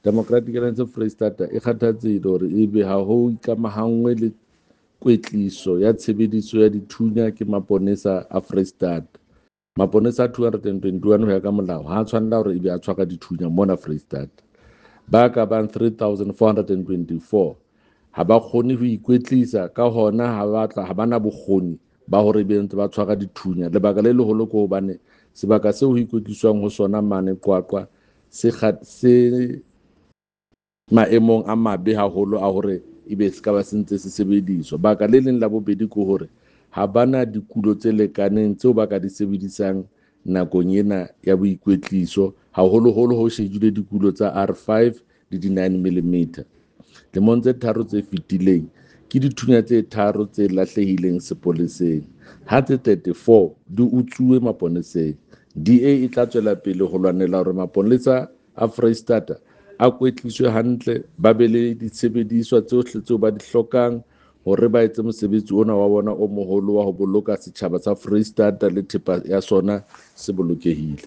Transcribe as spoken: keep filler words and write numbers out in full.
Democratic Alliance Freistata e kgathatsehile hore ebe ha ho ikamahanngwe le kwetliso ya tshebediso ya dithunya ke maponesa a Freistata. Maponesa a two hundred and twenty-one ho ya ka molao ha a tshwanela hore ebe a tshwara dithunya mona Freistata. Ba ka bang three thousand four hundred and twenty-four ha ba kgone ho ikwetlisa, ka hona ha ba tla, ha ba na bokgoni ba hore ebe ntse ba tshwara dithunya. Lebaka le leholo ke hobane sebaka seo ho ikwetliswang ho sona mane Qwaqwa se kga-, se maemong a mabe haholo a hore ebe se ka ba se ntse se sebediswa. Baka le leng la bobedi ke hore ha bana dikulo tse lekaneng tseo ba ka di sebedisang nakong ena ya boikwetliso, haholoholo ho shejilwe dikulo tsa R five le di nine millimeter. Lemong tse tharo tse fetileng ke dithunya tse tharo tse lahlehileng sepoleseng, ha tse thirty-four di utsuwe maponeseng. D A e tla tswela pele ho lwanela hore maponesa a Freistata a kwetliswe hantle, ba be le disebediswa tsohle tseo ba di hlokang hore ba etse mosebetsi ona wa bona o moholo wa ho boloka setjhaba sa Freistata le thepa ya sona se bolokehile.